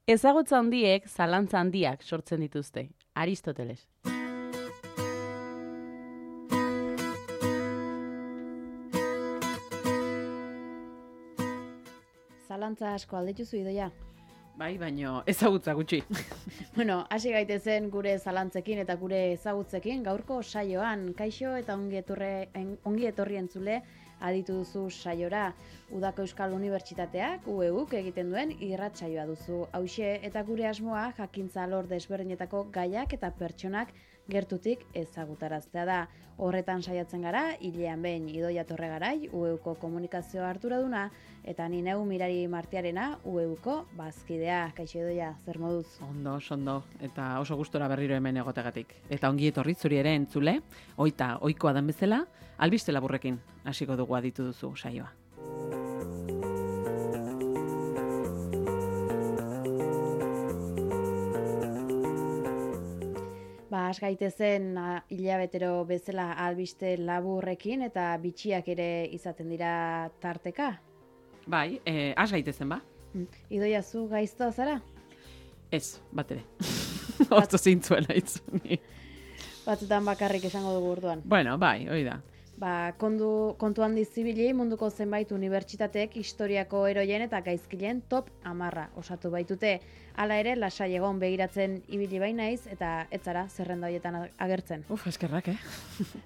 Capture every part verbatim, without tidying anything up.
Ezagutza handiek zalantza handiak sortzen dituzte. Aristoteles. Zalantza asko aldituzu Idoia? Bai, baino ezagutza gutxi. Bueno, hasi gaitezen gure zalantzekin eta gure ezagutzekin gaurko saioan. Kaixo eta ongi etorri, ongi etorri entzule aditu duzu saiora. Udako Euskal Unibertsitateak U E Uk egiten duen irratsaioa duzu. Hauxe eta gure asmoa jakintza alor desberdinetako gaiak eta pertsonak gertutik ezagutaraztea da. Horretan saiatzen gara, hilean behin Idoia Torregarai, U E Uko komunikazio arduraduna, eta ni neu Mirari Martiarena, U E Uko bazkidea. Kaixo Idoia, zer moduz? Ondo, ondo, eta oso gustora berriro hemen egotegatik. Eta ongi etorri zuri ere entzule, oita ohikoa den bezala, albiste laburrekin hasiko dugu aditu duzu saioa. Ba, has gaitezen hilabetero bezala albiste laburrekin eta bitxiak ere izaten dira tarteka. Bai, eh, has gaitezen ba? Idoia, zu gaiztoa zara? Ez, bat ere. Osto zintzuela itzuni. Batzutan bakarrik esango dugu orduan. Bueno, bai, hori da. Ba, kondu, kontu handi zibili munduko zenbait unibertsitateek historiako eroien eta gaizkileen top hamarra osatu baitute. Hala ere, lasai egon begiratzen ibili bainaiz eta ez zara zerrenda horietan agertzen. Uf, eskerrak, eh?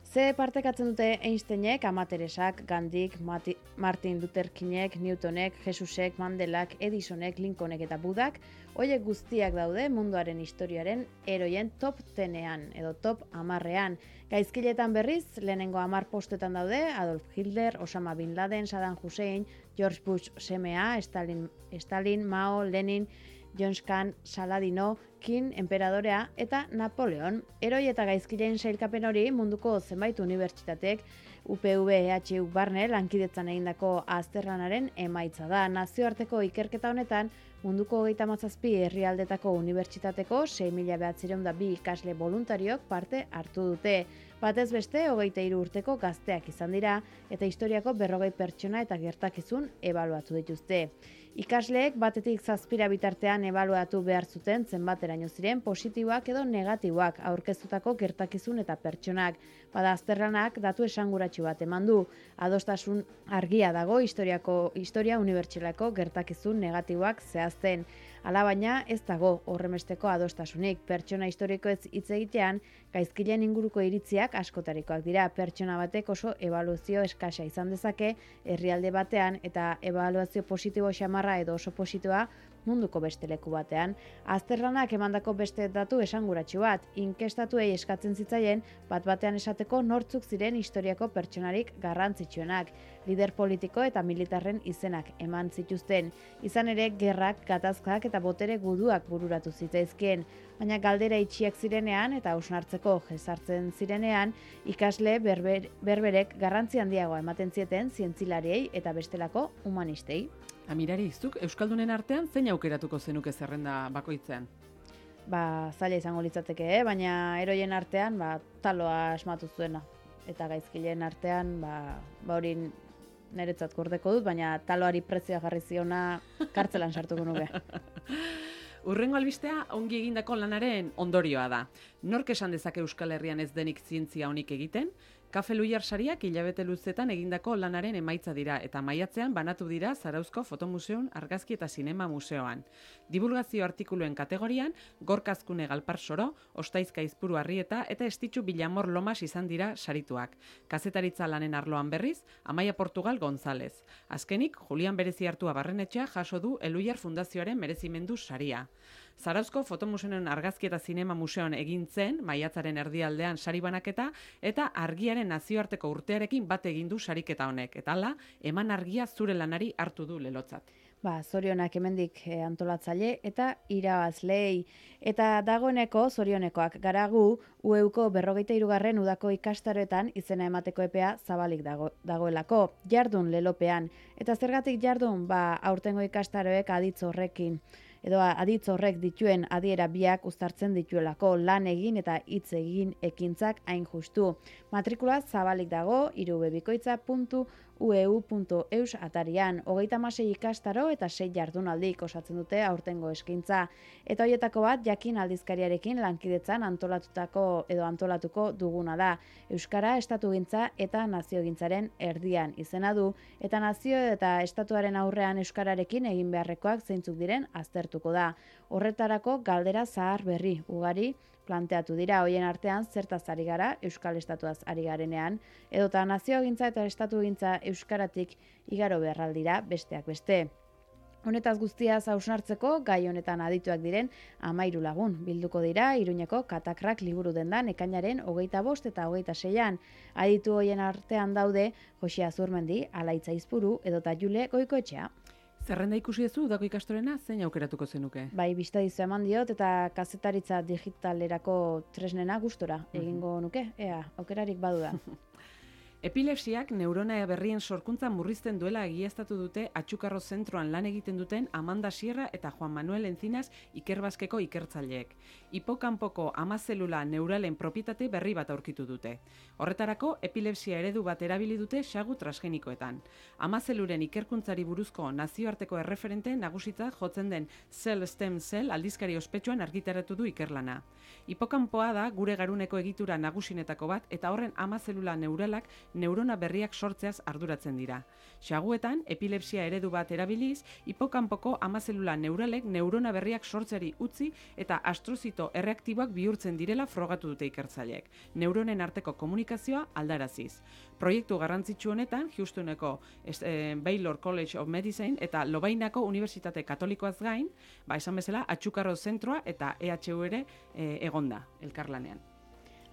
Ze partekatzen dute Einsteinek, Ama Teresak, Gandik, Mati, Martin Luther Kingek, Newtonek, Jesusek, Mandelak, Edisonek, Lincolnek eta Budak, horiek guztiak daude munduaren historiaren eroien top tenean edo top hamarrean. Gaizkiletan berriz, lehenengo hamar postetan daude Adolf Hitler, Osama Bin Laden, Saddam Hussein, George Bush semea, Stalin, Stalin, Mao, Lenin, John Kahn, Saladino, King, Enperadorea eta Napoleon. Eroi eta gaizkileen sailkapen hori munduko zenbait unibertsitateek U P V E H U barne lankidetzan egindako azterlanaren emaitza da. Nazioarteko ikerketa honetan munduko hogeita hamazazpi herrialdetako unibertsitateko sei mila bederatziehun eta bi ikasle voluntariok parte hartu dute. Batez beste, hogeita hiru urteko gazteak izan dira eta historiako berrogei pertsona eta gertakizun ebaluatu dituzte. Ikasleek batetik zazpira bitartean ebaluatu behar zuten zenbateraino ziren positiboak edo negatiboak aurkeztutako gertakizun eta pertsonak. Bada azterlanak datu esanguratsu bat eman du. Adostasun argia dago historiako historia unibertsalako gertakizun negatiboak zehazten. Alabaina ez dago horremesteko adostasunik. Pertsona historikoez hitz egitean, gaizkileen inguruko iritziak askotarikoak dira. Pertsona batek oso ebaluazio eskasa izan dezake herrialde batean eta ebaluazio positibo xamarra edo oso positiboa munduko beste leku batean. Azterlanak emandako beste datu esanguratsu bat, inkestatuei eskatzen zitzaien bat batean esateko nortzuk ziren historiako pertsonarik garrantzitsuenak, lider politiko eta militarren izenak eman zituzten. Izan ere, gerrak, gatazkak eta botere guduak bururatu zitzaizkien, baina galdera itxiak zirenean eta hausnartzeko jesartzen zirenean, ikasle berber, berberek garrantzi handiagoa ematen zieten zientzilariei eta bestelako humanistei. Amirari, zuk Euskaldunen artean zein aukeratuko zenuke zerrenda bakoitzean? Ba, zaila izango litzateke, eh? Baina eroien artean, ba, taloa asmatu zuena. Eta gaizkileen artean, ba, ba hori niretzat gordeko dut, baina taloari prezioa jarri ziona kartzelan sartuko nuke. Urrengo albistea ongi egindako lanaren ondorioa da. Nork esan dezake Euskal Herrian ez denik zientzia honik egiten? Kafe Luiar sariak hilabete luzetan egindako lanaren emaitza dira eta maiatzean banatu dira Zarauzko Fotomuseon, Argazki eta Zinema Museoan. Divulgazio artikuluen kategorian, Gorka Azkune Galpar Soro, Ostaizka Izpuru Arrieta eta Estitxu Bilamor Lomas izan dira sarituak. Kazetaritza lanen arloan berriz, Amaia Portugal González. Azkenik, Julian Berezi Hartua Barrenetxea jaso du Eluiar Fundazioaren merezimendu saria. Zarauzko Fotomuseoen Argazki eta Zinema Museoan egin zen, maiatzaren erdialdean sari banaketa, eta argiaren nazioarteko urtearekin bat egin du sariketa honek. Eta hala, eman argia zure lanari hartu du lelotzat. Ba, zorionak hemendik antolatzaile eta irabazlei. Eta dagoeneko zorionekoak garagu U E Uko berrogeita hirugarren udako ikastaroetan izena emateko epea zabalik dago, dagoelako. Jardun lelopean. Eta zergatik jardun, ba, aurtengo ikastaroek aditz horrekin. Edo aditz horrek dituen adiera biak uztartzen dituelako lan egin eta hitz egin ekintzak hain justu. Matrikula zabalik dago irubebikoitza puntu u e u puntu eus atarian. Hogeita hamasei ikastaro eta sei jardunaldik osatzen dute aurtengo eskaintza. Eta hoietako bat jakin aldizkariarekin lankidetzan antolatutako edo antolatuko duguna da. Euskara estatugintza eta naziogintzaren erdian izena du, eta nazio eta estatuaren aurrean euskararekin egin beharrekoak zeintzuk diren aztertuko da. Horretarako galdera zahar berri ugari planteatu dira, hoien artean zertaz ari gara, euskal estatuaz ari garenean, edota naziogintza eta estatugintza euskaratik igaro beharraldira besteak beste. Honetaz guztiaz hausnartzeko, gai honetan adituak diren hamairu lagun bilduko dira Iruñeko Katakrak liburu dendan ekainaren hogeita bost eta hogeita seian. Aditu hoien artean daude Josia Zurmendi, Alaitza Izpuru edota Jule Goikoetxea. Zerrenda ikusi duzu udako ikastorena, zein aukeratuko zenuke? Bai, bistadizu eman diot eta kazetaritza digitalerako tresnena gustora egingo nuke, ea, aukerarik badu da. Epilepsiak neurona berrien sorkuntza murrizten duela egiaztatu dute Atxukarro zentroan lan egiten duten Amanda Sierra eta Juan Manuel Encinas Ikerbazkeko ikertzaileek. Hipokanpoko amazelula neuralen propietate berri bat aurkitu dute. Horretarako, epilepsia eredu bat erabili dute sagu transgenikoetan. Amazeluren ikerkuntzari buruzko nazioarteko erreferente nagusitza jotzen den Cell Stem Cell aldizkari ospetsuan argitaratu du ikerlana. Hipokanpoa da gure garuneko egitura nagusinetako bat eta horren amazelula neuralak neurona berriak sortzeaz arduratzen dira. Saguetan, epilepsia eredu bat erabiliz, hipokanpoko amazelula neuralek neurona berriak sortzeari utzi eta astrozito erreaktiboak bihurtzen direla frogatu dute ikertzaileek. Neuronen arteko komunikazioa aldaraziz. Proiektu garrantzitsu honetan, Houstoneko eh, Baylor College of Medicine eta Lovainako Unibertsitate Katolikoaz gain, ba esan bezala, Atxukarro zentroa eta E H U ere eh, egonda elkarlanean.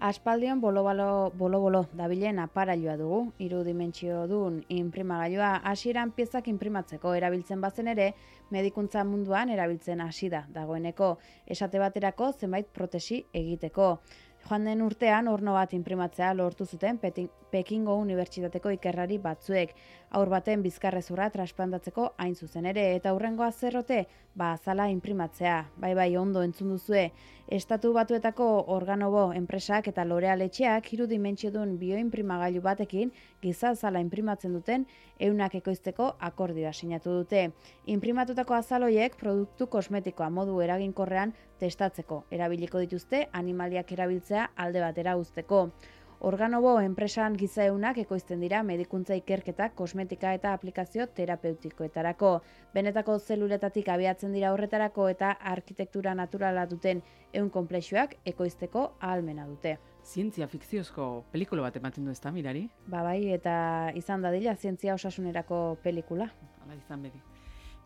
Aspaldion bolo-bolo, bolo-bolo dabilen aparailua dugu, hiru dimentsio dun inprimagailua hasieran piezak inprimatzeko erabiltzen bazen ere, medikuntza munduan erabiltzen hasi da dagoeneko, esate baterako zenbait protesi egiteko. Joan den urtean horno bat inprimatzea lortu zuten Pekingo Unibertsitateko ikerrari batzuek, haur baten bizkarrezurra transplantatzeko hain zuzen ere, eta hurrengoa zerrote, ba azala inprimatzea, bai bai ondo entzun duzue. Estatu Batuetako Organobo enpresak eta L'Oreal etxeak hiru dimentsiodun bioinprimagailu batekin giza azala inprimatzen duten eunak ekoizteko akordioa sinatu dute. Inprimatutako azaloiek produktu kosmetikoa modu eraginkorrean testatzeko erabiliko dituzte animaliak erabiltzea alde batera uzteko. Organobo enpresan giza eunak ekoizten dira medikuntza ikerketa, kosmetika eta aplikazio terapeutikoetarako. Benetako zeluletatik abiatzen dira horretarako eta arkitektura naturala duten eun konplexuak ekoizteko ahalmena dute. Zientzia fikziozko pelikula bat ematen du ezta mirari? Ba bai, eta izan dadila zientzia osasunerako pelikula. Hala izan bedi.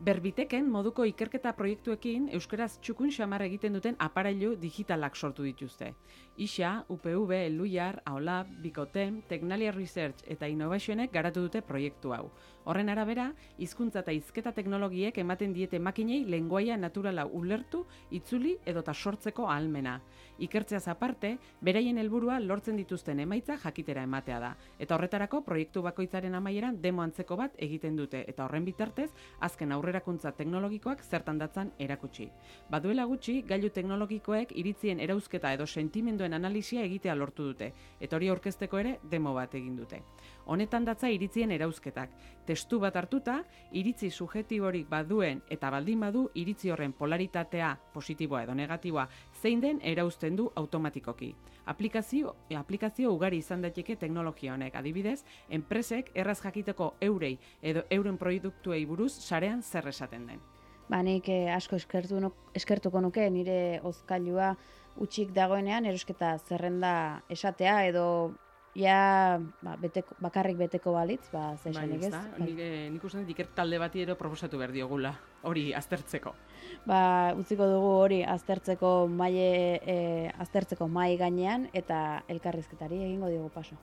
Berbiteken moduko ikerketa proiektuekin euskaraz txukun xamar egiten duten aparailu digitalak sortu dituzte. I S A, U P V, Luiar, Aolab, Bikotem, Tecnalia Research eta Innovationek garatu dute proiektu hau. Horren arabera, hizkuntza eta hizketa teknologiek ematen diete makinei lengoaia naturala ulertu, itzuli edota sortzeko ahalmena. Ikertzeaz aparte, beraien helburua lortzen dituzten emaitza jakitera ematea da. Eta horretarako proiektu bakoitzaren amaieran demo antzeko bat egiten dute eta horren bitartez azken aurrerakuntza teknologikoak zertan datzan erakutsi. Baduela gutxi, gailu teknologikoek iritzien erauzketa edo sentimenduen analisia egitea lortu dute eta hori aurkezteko ere demo bat egin dute. Honetan datza iritzien erauzketak. Testu bat hartuta, iritzi subjektiborik baduen eta baldin badu iritzi horren polaritatea, positiboa edo negatiboa, zein den erauzten du automatikoki. Aplikazio, aplikazio ugari izan daiteke teknologia honek, adibidez, enpresek erraz jakiteko eurei edo euren produktuei buruz sarean zer esaten den. Ba, nik eh, asko eskertu, eskertuko nuke nire hozkailua utxik dagoenean erosketa zerrenda esatea edo ja ba, beteko, bakarrik beteko balitz, ba, zesanik ez. Bai, nik, nik uste dut iker talde bati ero proposatu behar diogula, hori aztertzeko. Ba, utziko dugu hori aztertzeko maile, e, aztertzeko mai gainean eta elkarrizketari egingo diogu paso.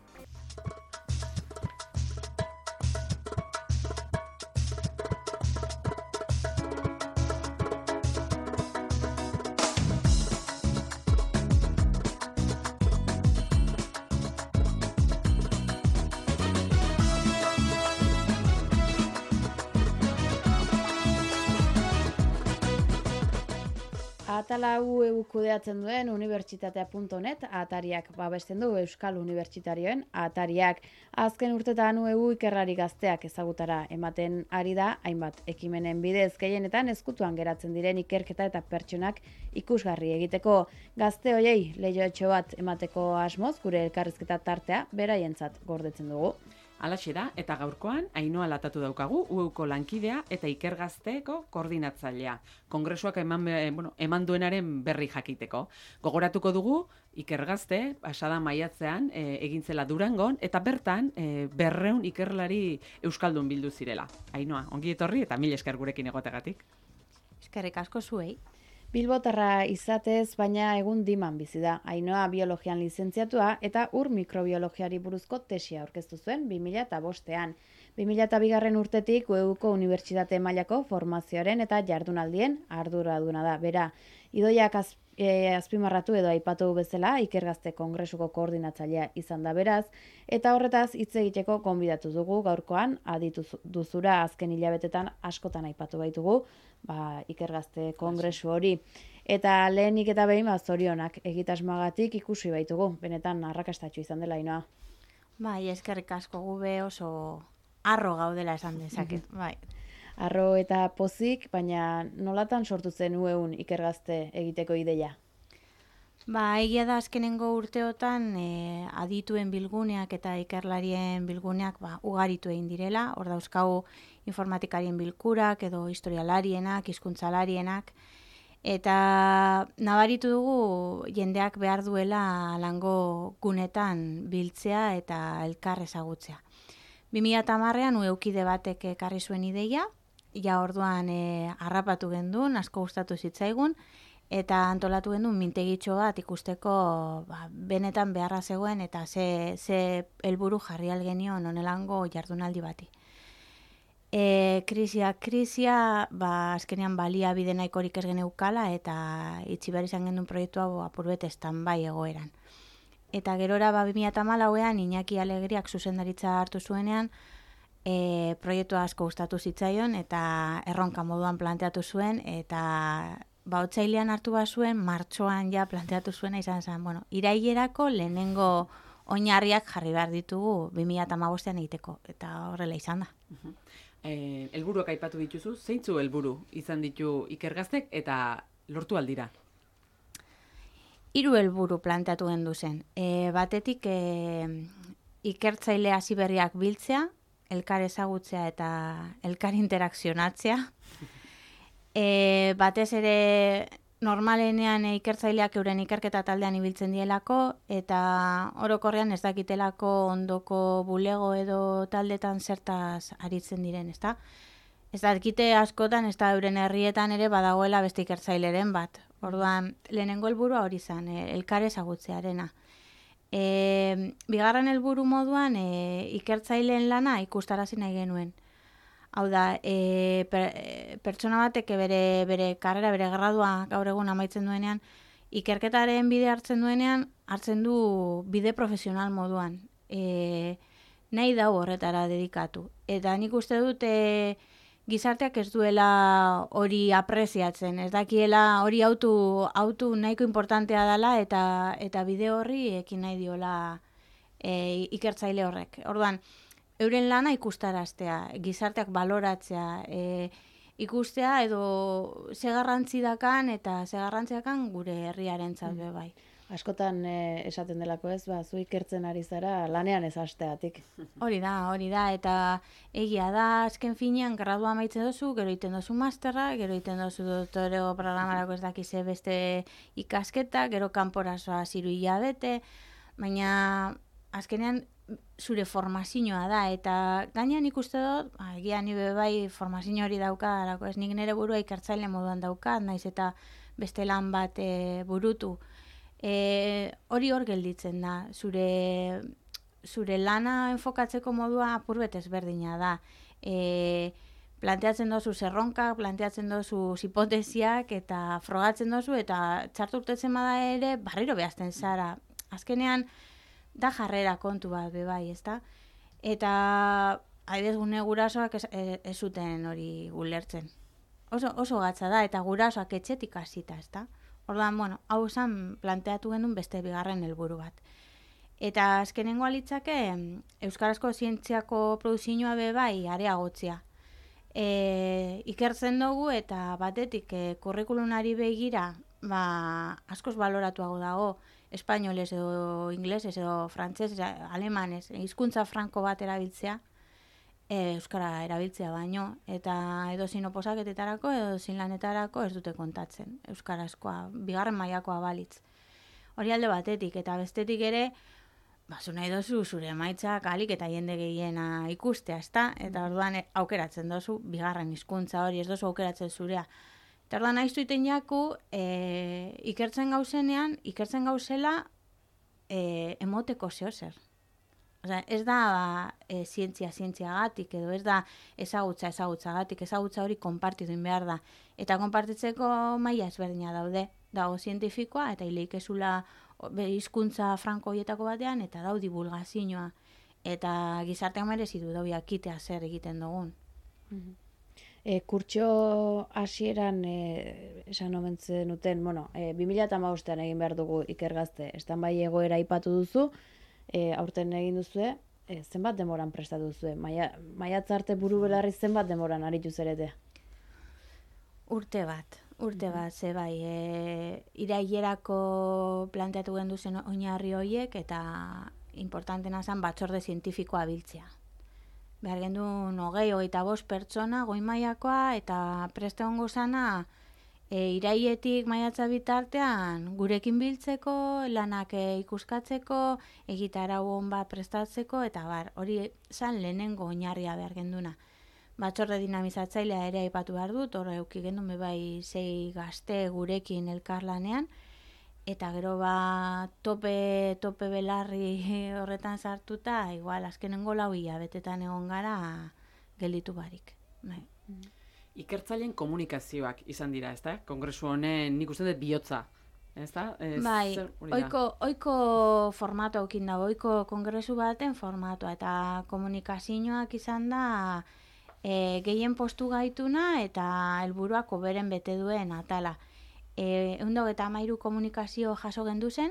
Atala U E U kudeatzen duen unibertsitatea puntu net atariak babesten du Euskal Unibertsitarioen atariak. Azken urtetan U E U ikerrari gazteak ezagutara ematen ari da, hainbat ekimenen bidez gehienetan ezkutuan geratzen diren ikerketa eta pertsonak ikusgarri egiteko. Gazte hoiei leihoetxo bat emateko asmoz gure elkarrizketa tartea beraientzat gordetzen dugu. Alaxe da, eta gaurkoan, Ainhoa Latatu daukagu, U E Uko lankidea eta ikergazteeko koordinatzailea. Kongresuak eman, bueno, eman duenaren berri jakiteko. Gogoratuko dugu, ikergazte, pasada maiatzean, e, egintzela Durangon, eta bertan, e, berreun ikerlari euskaldun bildu zirela. Ainhoa, ongi etorri eta mil esker gurekin egotegatik. Eskerrik asko zuei. Bilbotarra izatez, baina egun diman bizi da. Ainhoa biologian lizentziatua eta ur mikrobiologiari buruzko tesia aurkeztu zuen bi mila bostean. bi mila bigarren urtetik U E Uko unibertsitate mailako formazioaren eta jardunaldien arduraduna da. Bera, Idoiak az, e, azpimarratu edo aipatu bezala ikergazte kongresuko koordinatzailea izan da beraz, eta horretaz hitz egiteko gonbidatu dugu gaurkoan aditu duzura azken hilabetetan askotan aipatu baitugu, ba, ikergazte kongresu hori. Eta lehenik eta behin ba, zorionak egitasmoagatik ikusi baitugu, benetan arrakastatxo izan dela Ainhoa. Bai, eskerrik asko gube oso harro gaudela esan dezaket, bai. Arro eta pozik, baina nolatan sortu zen U E Un ikergazte egiteko ideia? Ba, egia da azkenengo urteotan e, adituen bilguneak eta ikerlarien bilguneak ba, ugaritu egin direla, hor dauzkagu informatikarien bilkurak edo historialarienak, hizkuntzalarienak, eta nabaritu dugu jendeak behar duela lango gunetan biltzea eta elkar ezagutzea. bi mila hamarrean U E Ukide batek ekarri zuen ideia, ja orduan e, harrapatu gendun, asko gustatu zitzaigun, eta antolatu gendun mintegitxo bat ikusteko ba, benetan beharra zegoen eta ze, ze helburu jarri algenion onelango jardunaldi bati. E, krisia, krisia, ba, azkenean balia bide nahikorik ez geneukala eta itxi behar izan gendun proiektu hau apurbet bai egoeran. Eta gerora ba, bi mila hamalauean Iñaki Alegriak zuzendaritza hartu zuenean, E, proiektu asko gustatu zitzaion eta erronka moduan planteatu zuen eta ba otsailean hartu bazuen, martxoan ja planteatu zuena izan zen, bueno, irailerako lehenengo oinarriak jarri behar ditugu bi mila hamabostean egiteko eta horrela izan da. Uh-huh. Eh, helburuak aipatu dituzu, zeintzu helburu izan ditu ikergaztek eta lortu aldira? Hiru helburu planteatu gendu zen. E, batetik e, ikertzaile hasi berriak biltzea, elkar ezagutzea eta elkar interakzionatzea. E, batez ere normalenean ikertzaileak euren ikerketa taldean ibiltzen dielako eta orokorrean ez dakitelako ondoko bulego edo taldetan zertaz aritzen diren, ezta? Ez dakite askotan, ez da euren herrietan ere badagoela beste ikertzaileren bat. Orduan, lehenengo helburua hori zen, elkar ezagutzearena. E, bigarren helburu moduan e, ikertzaileen lana ikustarazi nahi genuen. Hau da, e, per, e, pertsona batek bere, bere karrera, bere gradua gaur egun amaitzen duenean, ikerketaren bide hartzen duenean, hartzen du bide profesional moduan. E, nahi dau horretara dedikatu. Eta nik uste dut e, gizarteak ez duela hori apreziatzen, ez dakiela hori autu, autu nahiko importantea dela eta eta bide horri ekin nahi diola e, ikertzaile horrek. Orduan, euren lana ikustaraztea, gizarteak baloratzea, e, ikustea edo ze garrantzi dakan eta ze garrantzi dakan gure herriarentzat be bai. Askotan e, esaten delako ez, ba, zu ikertzen ari zara lanean ez hasteatik. Hori da, hori da, eta egia da, azken finean, gradua amaitzen dozu, gero iten dozu masterra, gero iten dozu doktoreo programarako ez dakize beste ikasketa, gero kanporazoa ziru hilabete, baina azkenean zure formazioa da, eta gainean ikuste dut, ba, egia ni bai formazio hori dauka, ez nik nire burua ikertzaile moduan daukat, naiz eta beste lan bat e, burutu. E, hori hor gelditzen da, zure, zure lana enfokatzeko modua apurbet ezberdina da. E, planteatzen dozu zerronka, planteatzen dozu hipotesiak eta frogatzen dozu eta txartu urtetzen bada ere barriro behazten zara. Azkenean da jarrera kontu bat be bai, ezta? Eta adibidez gune gurasoak ez, ez zuten hori ulertzen. oso, oso gatza da, eta gurasoak etxetik hasita, ezta? Orduan, bueno, hau zan planteatu genuen beste bigarren helburu bat. Eta azkenengoa litzake, euskarazko zientziako produzioa be bai areagotzea. E, ikertzen dugu eta batetik e, kurrikulunari begira ba, askoz baloratuago dago espainolez edo inglesez edo frantzez, alemanez, hizkuntza franko bat erabiltzea, e, euskara erabiltzea baino, eta edo zin oposaketetarako edo zin lanetarako ez dute kontatzen, euskarazkoa, bigarren mailakoa balitz. Hori alde batetik, eta bestetik ere, ba, zu nahi dozu zure emaitzak alik eta jende gehiena ikustea, ezta? Eta orduan aukeratzen dozu bigarren hizkuntza hori, ez dozu aukeratzen zurea. Eta orduan nahi zuiten jaku, e, ikertzen gauzenean, ikertzen gauzela e, emoteko zehozer. Osea, ez da ba, e, zientzia zientziagatik, edo ez da ezagutza ezagutzagatik, ezagutza hori konpartitu behar da. Eta konpartitzeko maila ezberdina daude, dago zientifikoa, eta hileik ezula hizkuntza franko horietako batean, eta dau divulgazioa. Eta gizartean merezi du dau jakitea zer egiten dugun. E, kurtso hasieran e, esan omentzen duten, bueno, e, bi mila hamabostean egin behar dugu ikergazte, estan bai egoera aipatu duzu, e, aurten egin duzue, e, zenbat demoran prestatu duzue? Maia, maiatza arte buru belarri zenbat demoran aritu zerete? Urte bat. Urte bat, ze bai, e, irailerako planteatu gendu zen oinarri horiek, eta importantena zen batzorde zientifikoa biltzea. Behar gendu hogei, hogeita bost pertsona, goi mailakoa, eta preste hongo zana, e, irailetik maiatza bitartean gurekin biltzeko, lanak e, ikuskatzeko, egitarau hon bat prestatzeko, eta bar, hori zan lehenengo oinarria behar genduna. Batzorde dinamizatzailea ere aipatu behar dut, hor euki gendu bai sei gazte gurekin elkarlanean, eta gero ba tope, tope belarri horretan sartuta, igual azkenengo lau hilabetetan egon gara gelditu barik. Bai. Ikertzaileen komunikazioak izan dira, ezta? Kongresu honen nik uste dut bihotza. Ezta? Ez, bai, zer, oiko, oiko formatu aukin dago, oiko kongresu baten formatua, eta komunikazioak izan da E, gehien postu gaituna eta helburuak beren bete duen atala. E, Eundog eta amairu komunikazio jaso gendu zen,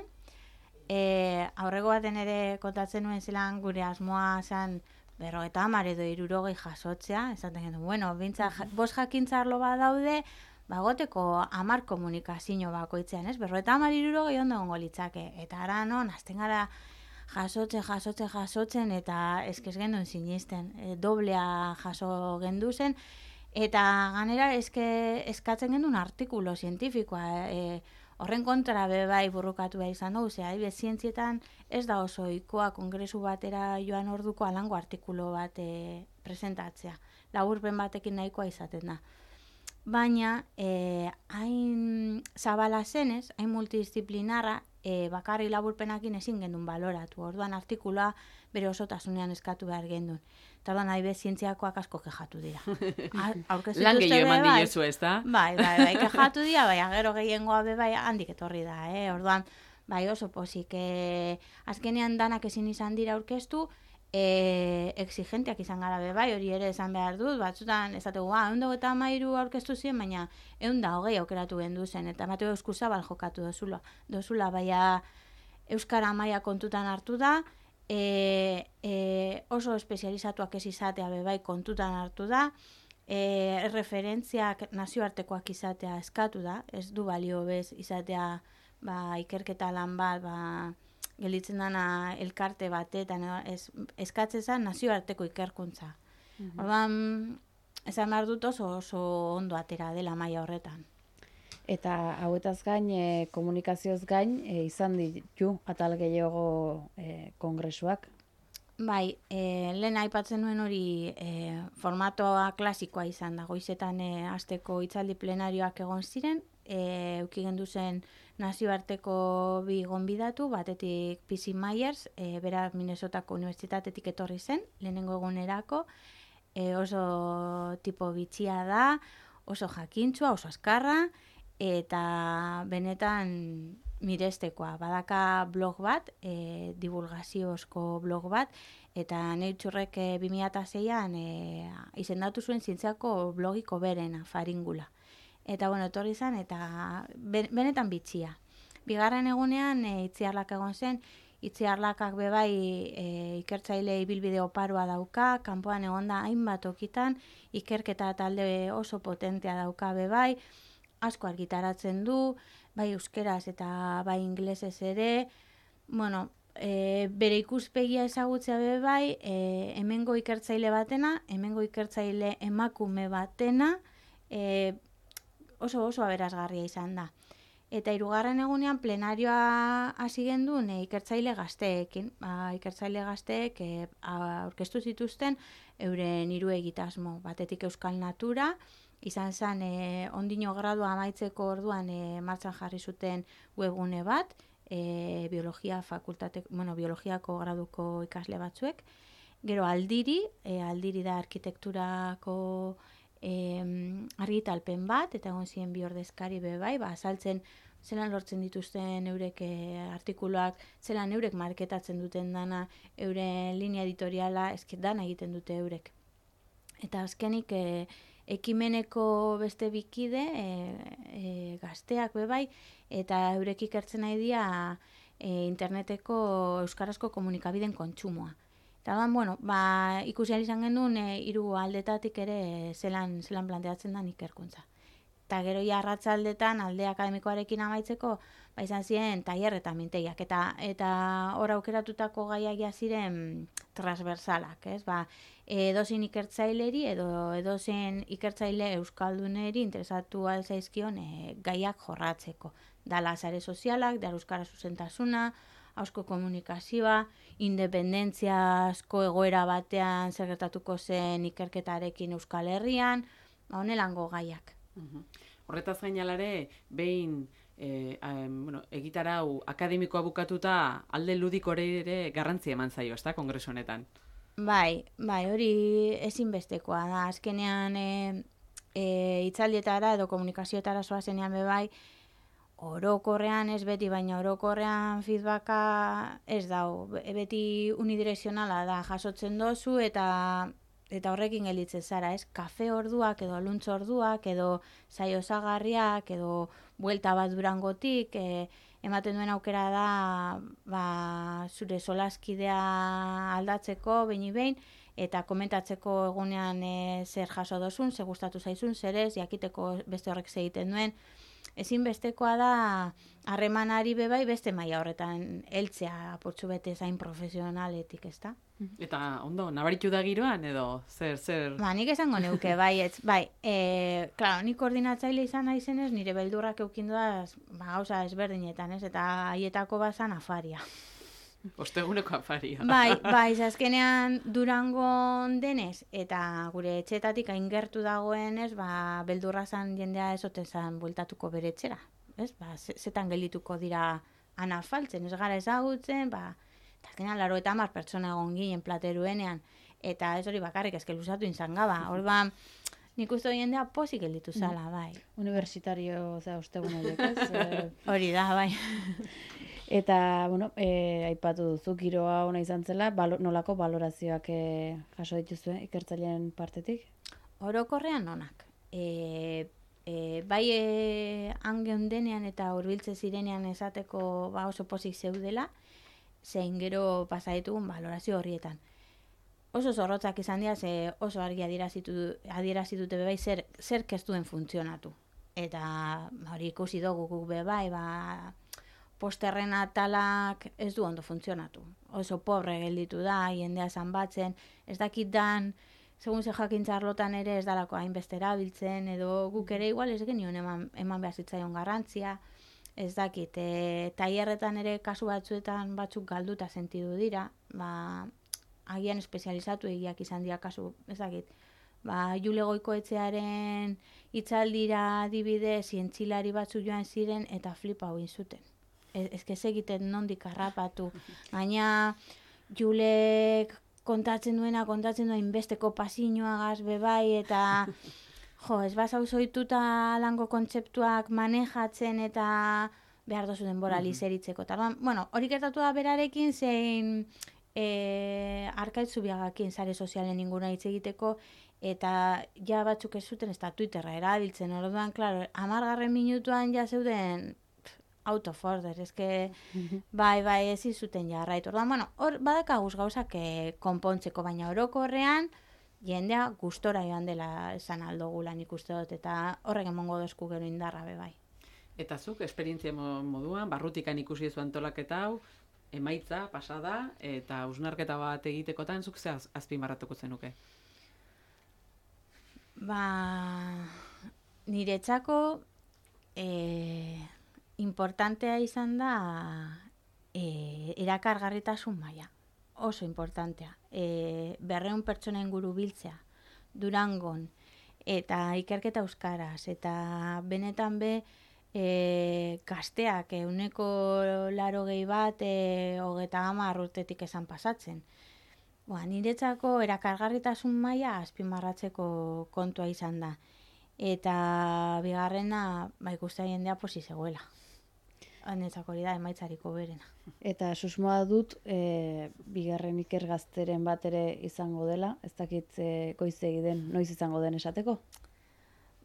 e, aurrego baten ere kontatzen nuen zelan gure asmoa zen berro eta amar edo irurogei jasotzea, esaten gendu, bueno, bintza, bost jakintzarlo bat daude, bagoteko amar komunikazio bakoitzean, ez? Berro eta amar irurogei ondo gongo litzake, eta ara non, azten gara jasotzen, jasotzen, jasotzen, eta eskez genduen sinisten, e, doblea jaso gendu zen, eta ganera eske, eskatzen genduen artikulo zientifikoa, e, horren kontra be bai burrukatu behar izan dugu, zera, be, zientzietan ez da oso ikoa kongresu batera joan orduko alango artikulo bat e, presentatzea, laburpen batekin nahikoa izaten da. Baina, e, hain zabala zenez, hain multidisciplinarra, e, bakarri laburpenakin ezin gendun baloratu. Orduan artikuloa bere osotasunean eskatu behar gendun. Eta orduan nahi be zientziakoak asko kejatu dira. Lan gehiago eman diezu, ez da? Bai, bai, bai, kejatu dira, bai, agero gehiengoa be bai handik etorri da, eh? Orduan, bai oso pozik, e, azkenean danak ezin izan dira aurkeztu, E, exigenteak izan gara be bai, hori ere esan behar dut, batzutan esategu, ah, eundog eta amairu aurkeztu ziren, baina eunda hogei aukeratu gendu zen, eta Mateo Eskuzabal jokatu dozula, dozula baina euskara maila kontutan hartu da, e, e, oso espezializatuak ez izatea be bai kontutan hartu da, e, referentziak nazioartekoak izatea eskatu da, ez du balio bez izatea ba, ikerketa lan bat, ba, gelditzen dana elkarte batetan, ez, eskatzezan nazioarteko ikerkuntza. Mm-hmm. Orduan, esan behar dut oso oso ondo atera dela maila horretan. Eta hauetaz gain, e, komunikazioz gain, e, izan ditu atal gehiago e, kongresuak? Bai, e, lehen aipatzen nuen hori e, formatoa klasikoa izan da, goizetan e, asteko hitzaldi plenarioak egon ziren, e, euki gendu zen nazioarteko bi gonbidatu, batetik P C Myers, e, bera Minnesotako Unibertsitatetik etorri zen, lehenengo egunerako, e, oso tipo bitxia da, oso jakintzua, oso azkarra, eta benetan mirestekoa. Badaka blog bat, e, divulgaziozko blog bat, eta Naturek e, bi mila seian e, izendatu zuen zientziako blogiko berena, Faringula. Eta, bueno, etorri zen, eta benetan bitxia. Bigarren egunean, e, Itziarlak egon zen, Itziarlakak bebai e, ikertzaile ibilbide oparoa dauka, kanpoan egonda hainbat okitan, ikerketa talde oso potentea dauka bebai, asko argitaratzen du, bai euskeraz eta bai ingelesez ere, bueno, e, bere ikuspegia ezagutzea bebai, e, hemengo ikertzaile batena, hemengo ikertzaile emakume batena, e, oso oso aberasgarria izan da. Eta hirugarren egunean plenarioa hasi gendun e, ikertzaile gazteekin. Ba, ikertzaile gazteek e, aurkeztu zituzten euren hiru egitasmo. Batetik Euskal Natura, izan zen e, ondino gradua amaitzeko orduan e, martxan jarri zuten webgune bat, e, biologia fakultate, bueno, biologiako graduko ikasle batzuek. Gero aldiri, e, aldiri da arkitekturako E, argitalpen bat, eta egon ziren bi ordezkari bebai, ba, azaltzen zelan lortzen dituzten eurek e, artikuluak, zelan eurek marketatzen duten dana, euren linea editoriala, ezket dana egiten dute eurek. Eta azkenik e, ekimeneko beste bikide, e, e, gazteak bebai, eta eurek ikertzen nahi dira e, interneteko euskarazko komunikabideen kontsumoa. Eta ban, bueno, ba, ikusi izan genuen e, hiru aldetatik ere e, zelan, zelan planteatzen da ikerkuntza. Eta gero ja arratzaldetan alde akademikoarekin amaitzeko, ba, izan ziren tailer eta mintegiak. Eta eta hor aukeratutako gaiak ja ziren transversalak, ez? Ba, edozein ikertzaileri edo edozein ikertzaile euskalduneri interesatu alzaizkion e, gaiak jorratzeko. Dala sare sozialak, da euskara zuzentasuna, hausko komunikazioa, independentziazko egoera batean zer gertatuko zen ikerketarekin Euskal Herrian, ba, honelango gaiak. Uhum. Horretaz gainalare, behin e, um, bueno, egitarau akademikoa bukatuta alde ludikore ere garrantzia eman zaio, ezta, kongresu honetan? Bai, bai, hori ezinbestekoa da. Azkenean e, e, hitzaldietara edo komunikazioetara zoazenean bebai, orokorrean ez beti, baina orokorrean feedbacka ez dau. Beti unidirezionala da, jasotzen dozu eta eta horrekin gelditzen zara, ez? Kafe orduak edo luntz orduak edo saio osagarriak edo buelta bat Durangotik e, ematen duen aukera da ba, zure solaskidea aldatzeko behin behin eta komentatzeko egunean e, zer jaso dozun, zer gustatu zaizun, zer ez, jakiteko beste horrek egiten duen. Ezinbestekoa da harremanari bebai beste maila horretan heltzea apurtxu bete zain profesionaletik, ezta? Eta ondo, nabaritu da giroan edo zer, zer? Ba, nik esango neuke, bai, ez, bai, e, klaro, nik koordinatzaile izan naizenez, nire beldurrak eukindu da, ba, gauza ezberdinetan, ez, eta haietako bazan afaria. Osteguneko afaria. Bai, bai, azkenean Durangon denez, eta gure etxetatik aingertu dagoenez, ba, beldurra zan jendea ezoten zan bueltatuko bere etxera. Ez, ba, zetan geldituko dira anafaltzen, ez gara ezagutzen, ba, eta azkenean laro eta hamar pertsona egon ginen plateruenean, eta ez hori bakarrik ezke luzatu inzan gaba. Hor ba, nik uste jendea posik gelditu zala, bai. Universitario, oza, ostegun horiek, ez? Hori da, bai. Eta, bueno, e, aipatu duzu, giroa ona izan zela, balo, nolako balorazioak e, jaso dituzue ikertzaileen partetik? Orokorrean onak. E, e, bai e, angeun denean eta hurbiltze zirenean esateko ba, oso pozik zeudela, zein gero pasa ditugun balorazio horrietan. Oso zorrotzak izan dira, ze oso argi adierazi dute bebai zer, zer kestuen funtzionatu. Eta hori ikusi dugu guk bebai, ba, posterren atalak ez du ondo funtzionatu. Oso pobre gelditu da, jendea zanbatzen, ez dakit dan, segun ze jakintza arlotan ere ez dalako hainbeste erabiltzen, edo guk ere igual ez genion eman, eman behar zitzaion garrantzia, ez dakit, e, tailerretan ere kasu batzuetan batzuk galduta sentidu dira, ba, agian espezializatu egiak izan dira kasu, ez dakit, ba, Jule Goikoetxearen hitzaldira adibide zientzilari batzuk joan ziren eta flipa hau zuten. Ez que egiten nondik harrapatu. Gaina Julek kontatzen duena, kontatzen duen besteko pasiñoagaz bebai, eta jo, ez bazau zoituta lango kontzeptuak manejatzen, eta behar dozu denbora Mhm. lizeritzeko. Eta, orduan, bueno, hori gertatu da berarekin, zein e, arkaitzu biagakin sare sozialen inguna hitz egiteko, eta ja batzuk ez zuten, ez da Twitterra erabiltzen, orduan, klaro, amargarren minutuan ja zeuden out of order, eske, bai, bai, ez izuten jarraitu. Orduan, bueno, hor badakaguz gauzak eh, konpontzeko, baina orokorrean, jendea gustora joan dela esan aldogula nik uste dut, eta horrek emongo dozku gero indarra be bai. Eta zuk, esperientzia mo- moduan, barrutikan ikusi duzu antolaketa hau, emaitza, pasada, eta hausnarketa bat egitekotan, zuk ze az- azpimarratuko zenuke? Ba, niretzako e, importantea izan da e, erakargarritasun maila. Oso importantea. E, berreun pertsona inguru biltzea, Durangon, eta ikerketa euskaraz, eta benetan be, e, gazteak, euneko laro gehi bat, e, hogeta hamar urtetik esan pasatzen. Ba, niretzako erakargarritasun maila azpimarratzeko kontua izan da. Eta bigarrena, ba, ikusten jendea posi zegoela. Niretzako hori da emaitzariko berena. Eta susmoa dut, e, bigarren ikergazteren bat ere izango dela, ez dakit e, goizegi den, noiz izango den esateko?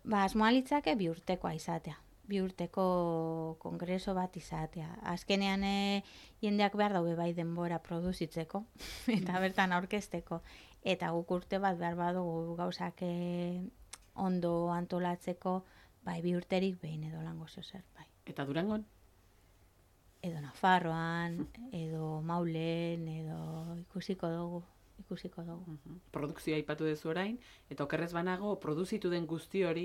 Ba, asmoa litzake bi urtekoa izatea. Bi urteko kongreso bat izatea. Azkenean e, jendeak behar daube bai denbora produzitzeko, eta bertan aurkezteko. Eta guk urte bat behar badugu gauzak e, ondo antolatzeko, bai bi urterik behin edo lango zer, bai. Eta Durangon? Edo Nafarroan, edo Maulen, edo ikusiko dugu, ikusiko dugu. Mhm. Produkzioa aipatu duzu orain, eta okerrez banago, produzitu den guzti hori,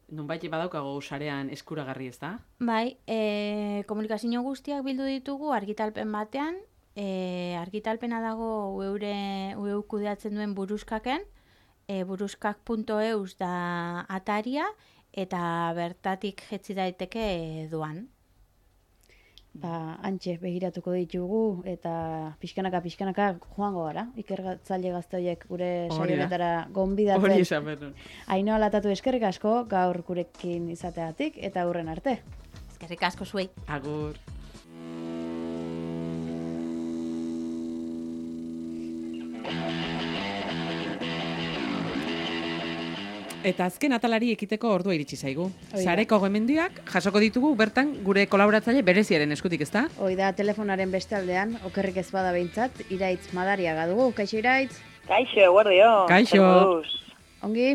nonbait badaukago sarean eskuragarri, ez da? Bai, e, komunikazio guztiak bildu ditugu argitalpen batean, e, argitalpena dago ueure, ueu kudeatzen duen buruskaken, e, buruskak puntu eus da ataria, eta bertatik jetzi daiteke doan. Ba, antxe begiratuko ditugu eta pixkanaka pixkanaka joango gara. Ikergatzaile gazte horiek gure Hori da. saionetara Hori gonbidatzen. esan behar nuen. Ainhoa Latatu eskerrik asko gaur gurekin izateagatik eta hurren arte. Eskerrik asko zuei. Agur. Eta azken atalari ekiteko ordua iritsi zaigu. da. Sareko gomendiak jasoko ditugu bertan gure kolaboratzaile bereziaren eskutik, ezta? Hoi da, telefonaren beste aldean, okerrik ez bada behintzat, Iraitz Madariaga dugu. Kaixo Iraitz? Kaixo, eguerdio. Kaixo. Zer moduz? Ongi?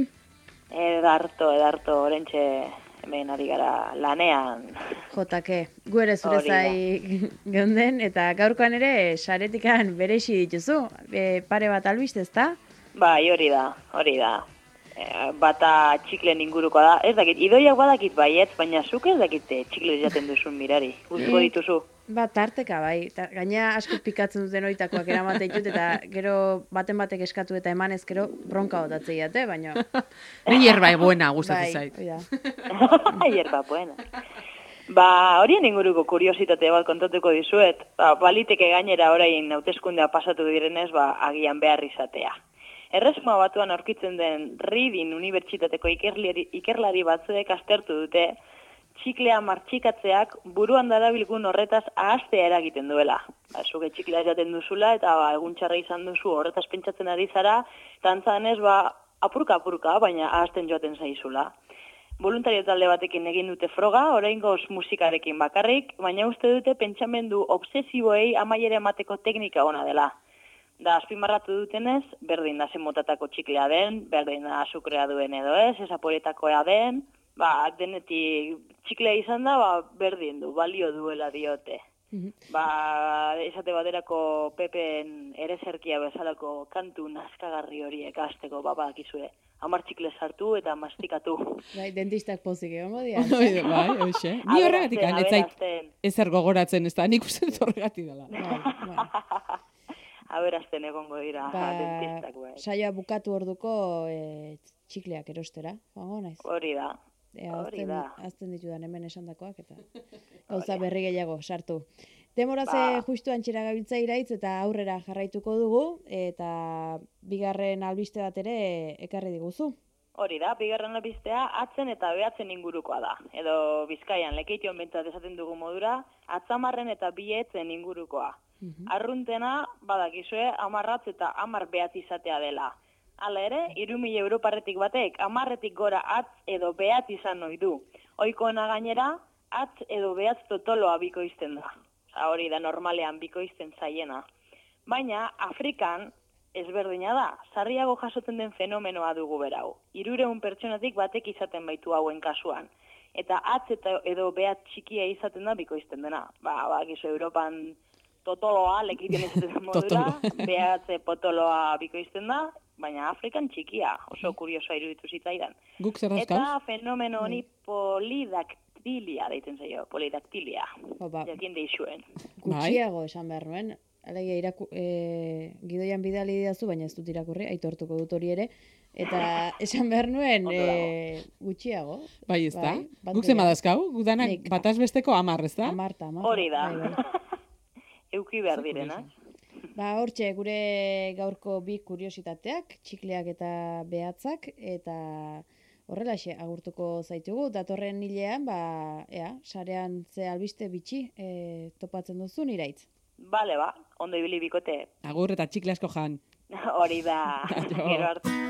Edarto, edarto, orentxe hemen ari gara lanean. Jotake, gu ere zure Hori da. zai geunden, eta gaurkoan ere saretikan berexi dituzu. E, pare bat albiste, ezta? Bai, hori da, hori da. E, bata txiklen inguruko da. Ez dakit, idoiak badakit baietz, baina zuk ez dakit eh, txikle jaten duzun mirari. Uzko dituzu. Ba, tarteka bai. Ta, gaina asko pikatzen duten oitakoak eramaten ditut, eta gero baten batek eskatu eta emanez gero bronka botatzei jate, baina... Ni hierba buena gustatzen bai, zait. hoi da. Hierba, buena. Ba, horien inguruko kuriositate bat kontatuko dizuet. Ba, baliteke gainera orain hauteskundea pasatu direnez, ba, agian behar izatea. Erresuma batuan aurkitzen den Reading Unibertsitateko ikerlari, ikerlari batzuek aztertu dute txiklea martxikatzeak buruan darabilgun horretaz ahaztea eragiten duela. Ba, zuke txiklea jaten duzula eta ba, egun txarra izan duzu horretaz pentsatzen ari zara, eta antzanez ba, apurka-apurka, baina ahazten joaten zaizula. Voluntario talde batekin egin dute froga, oraingoz musikarekin bakarrik, baina uste dute pentsamendu obsesiboei amaiera emateko teknika ona dela. Da, azpimarratu dutenez, berdin da zen motatako txiklea den, berdin da azukrea duen edo ez, esaporetakoa den, ba, denetik txiklea izan da, ba, berdin du, balio duela diote. Ba, esate baterako Pepen ereserkia bezalako kantu nazkagarri horiek hasteko, ba, badakizue. Hamar txikle sartu eta mastikatu. Bai, dentistak pozik egongo dira. Bai, bai, hoxe. Ni horregatik Aberasten, ez zait aberasten. ezer gogoratzen, ez da, nik uste dut horregatik dela. Bai, bai. Aberazten egongo dira, Ba, dentistak, bai. saioa bukatu orduko e, txikleak erostera, joango naiz. Hori da. Ea, Hori azten, da. azten ditudan hemen esandakoak eta gauza berri gehiago sartu. Demoraze Ba. justu antxera gabiltza Iraitz eta aurrera jarraituko dugu eta bigarren albiste bat ere ekarri diguzu. Hori da, bigarren albistea atzen eta behatzen ingurukoa da. Edo Bizkaian lekeition bentsat esaten dugu modura, atzamarren eta bietzen ingurukoa. Mm-hmm. Arruntena, badakizue, amarratz eta amar behatz izatea dela. Hala ere, hiru mila europarretik batek, amarretik gora atz edo behatz izan ohi du. Ohikoena gainera, atz edo behatz totoloa bikoizten da. Osa, hori da normalean bikoizten zaiena. Baina, Afrikan, ezberdina da, sarriago jasotzen den fenomenoa dugu berau. Hirureun pertsonatik batek izaten baitu hauen kasuan. Eta atz eta edo behatz txikia izaten da bikoizten dena. Ba, bakizu Europan totoloa, lekiten izaten modura, behatze potoloa bikoizten da, baina Afrikan txikia, oso kuriosoa iruditu zitzaidan. Guk zer dauzkauz? Eta fenomeno honi polidaktilia deiten zaio, polidaktilia. Opa. Jakin deixuen. Gutxiago esan behar nuen. Alegia, iraku, e, gidoian bidali didazu, baina ez dut irakurri, aitortuko dut hori ere. Eta esan behar nuen e, gutxiago. Bai, ez da? Bai, guk zema dazkau? Gudanak bataz besteko amar, ez da? Amarta, amarta. Hori da. Bai, bai. Euki behar direnak. Ba, hortxe, gure gaurko bi kuriositateak, txikleak eta behatzak, eta horrelaxe agurtuko zaitugu. Datorren hilean, ba, ea, sarean ze albiste bitxi e, topatzen duzun iraitz. Bale, ba, ondo ibili bikote. Agur eta txikle asko jan. Hori da. Gero arte.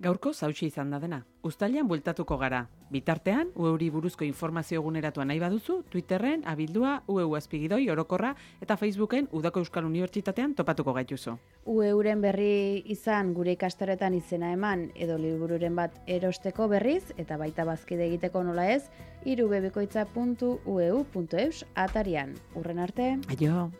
Gaurko zautxi izan da dena. Uztailean bueltatuko gara. Bitartean, U E uri buruzko informazio eguneratua nahi baduzu, Twitterren abildua U E U azpigidoi orokorra eta Facebooken Udako Euskal Unibertsitatean topatuko gaituzu. U E uren berri izan gure ikastaretan izena eman edo libururen bat erosteko berriz eta baita bazkide egiteko nola ez, irubebikoitza puntu u e u puntu eus atarian. Urren arte. Aio.